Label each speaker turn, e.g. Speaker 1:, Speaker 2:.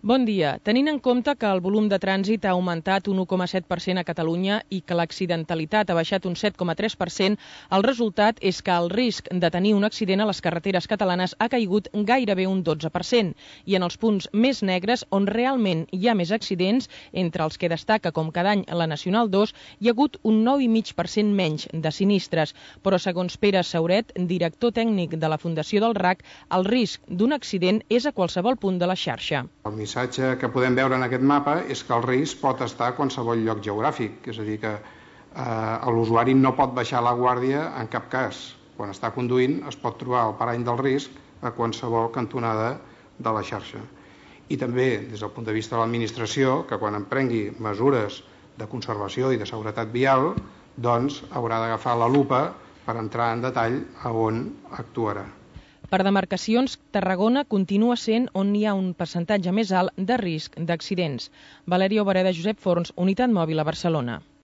Speaker 1: Bon dia. Tenint en compte que el volum de trànsit ha augmentat un 1,7% a Catalunya i que l'accidentalitat ha baixat un 7,3%, el resultat és que el risc de tenir un accident a les carreteres catalanes ha caigut gairebé un 12%. I en els punts més negres, on realment hi ha més accidents, entre els que destaca com cada any la Nacional 2, hi ha hagut un 9,5% menys de sinistres. Però segons Pere Sauret, director tècnic de la Fundació del RAC, el risc d'un accident és a qualsevol punt de la xarxa.
Speaker 2: El missatge que podem veure en aquest mapa és que el risc pot estar a qualsevol lloc geogràfic, és a dir, que l'usuari no pot baixar la guàrdia en cap cas. Quan està conduint es pot trobar el parany del risc a qualsevol cantonada de la xarxa. I també, des del punt de vista de l'administració, que quan emprengui mesures de conservació i de seguretat vial, doncs haurà d'agafar la lupa per entrar en detall a on actuarà.
Speaker 1: Per demarcacions, Tarragona continua sent on hi ha un percentatge més alt de risc d'accidents. Valeria Obereda, Josep Forns, Unitat Mòbil a Barcelona.